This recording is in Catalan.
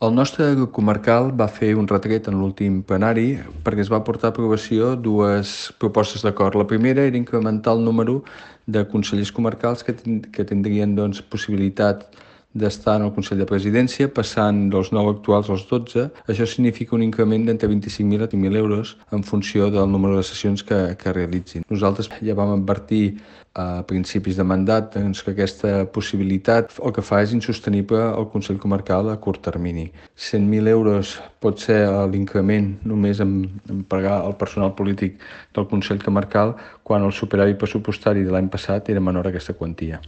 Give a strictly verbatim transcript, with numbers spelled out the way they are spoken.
El nostre grup comarcal va fer un retret en l'últim plenari perquè es va portar a aprovació dues propostes d'acord. La primera era incrementar el número de consellers comarcals que, que tindrien doncs, possibilitat d'estar en el Consell de Presidència, passant dels nou actuals als dotze. Això significa un increment d'entre vint-i-cinc mil i trenta mil euros en funció del número de sessions que, que realitzin. Nosaltres ja vam advertir a principis de mandat doncs, que aquesta possibilitat el que fa és insostenible al Consell Comarcal a curt termini. cent mil euros pot ser l'increment només en, en pagar el personal polític del Consell Comarcal, quan el superàvit pressupostari de l'any passat era menor a aquesta quantia.